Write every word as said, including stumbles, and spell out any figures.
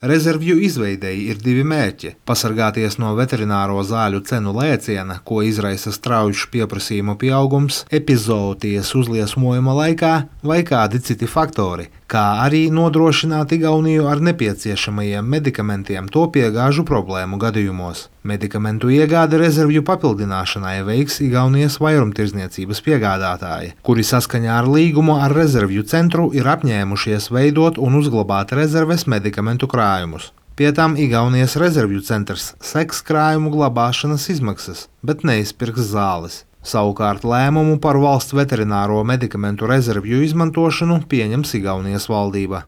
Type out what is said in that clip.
Rezervju izveidei ir divi mērķi – pasargāties no veterināro zāļu cenu lēciena, ko izraisa straujš pieprasījuma pieaugums epizooties uzliesmojuma laikā vai kādi citi faktori, kā arī nodrošināt Igauniju ar nepieciešamajiem medikamentiem to piegāžu problēmu gadījumos. Medikamentu iegādi rezervju papildināšanai veiks Igaunijas vairumtirdzniecības piegādātāji, kuri saskaņā ar līgumu ar rezervju centru ir apņēmušies veidot un uzglabāt rezerves medikamentu krājumus. Pie tam Igaunijas rezervju centrs seks krājumu glabāšanas izmaksas, bet neizpirks zāles. Savukārt lēmumu par valsts veterināro medikamentu rezervju izmantošanu pieņems Igaunijas valdība.